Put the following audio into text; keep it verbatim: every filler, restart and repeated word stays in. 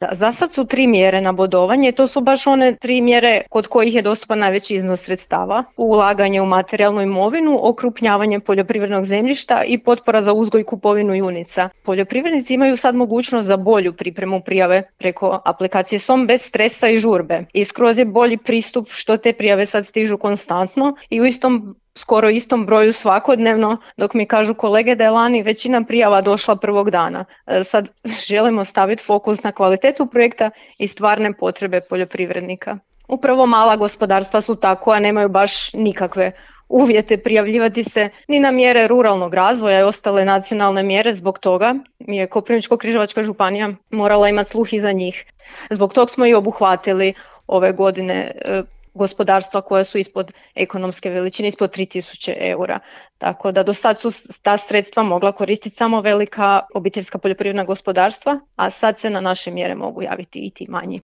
Da, za sad su tri mjere na bodovanje i to su baš one tri mjere kod kojih je dostupan najveći iznos sredstava. Ulaganje u materijalnu imovinu, okrupnjavanje poljoprivrednog zemljišta i potpora za uzgoj i kupovinu junica. Poljoprivrednici imaju sad mogućnost za bolju pripremu prijave preko aplikacije S O M bez stresa i žurbe. I skroz je bolji pristup što te prijave sad stižu konstantno i u istom skoro istom broju svakodnevno, dok mi kažu kolege da je lani većina prijava došla prvog dana. Sad želimo staviti fokus na kvalitetu projekta i stvarne potrebe poljoprivrednika. Upravo mala gospodarstva su ta koja nemaju baš nikakve uvjete prijavljivati se ni na mjere ruralnog razvoja i ostale nacionalne mjere. Zbog toga mi je Koprivničko-križevačka županija morala imati sluh i za njih. Zbog toga smo i obuhvatili ove godine gospodarstva koja su ispod ekonomske veličine, ispod tri tisuće eura. Tako da do sad su ta sredstva mogla koristiti samo velika obiteljska poljoprivredna gospodarstva, a sad se na naše mjere mogu javiti i ti manji.